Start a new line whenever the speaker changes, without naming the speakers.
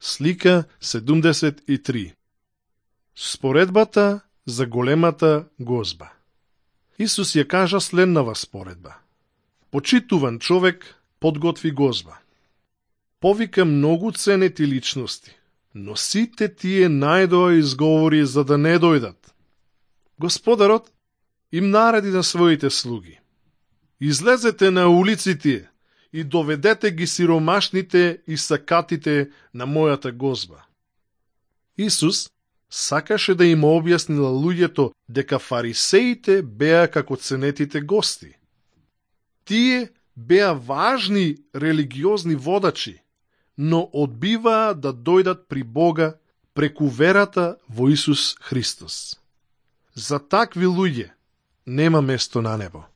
Слика 73. Споредбата за големата гозба. Исус ја кажа следнава споредба. Почитуван човек подготви гозба. Повика многу ценети личности, но сите тие најдоа изговори за да не дојдат. Господарот им нареди на своите слуги: излезете на улиците и доведете ги сиромашните и сакатите на мојата гозба. Исус сакаше да им објасни на луѓето дека фарисеите беа како ценетите гости. Тие беа важни религиозни водачи, но одбиваа да дојдат при Бога преку верата во Исус Христос. За такви луѓе нема место на небо.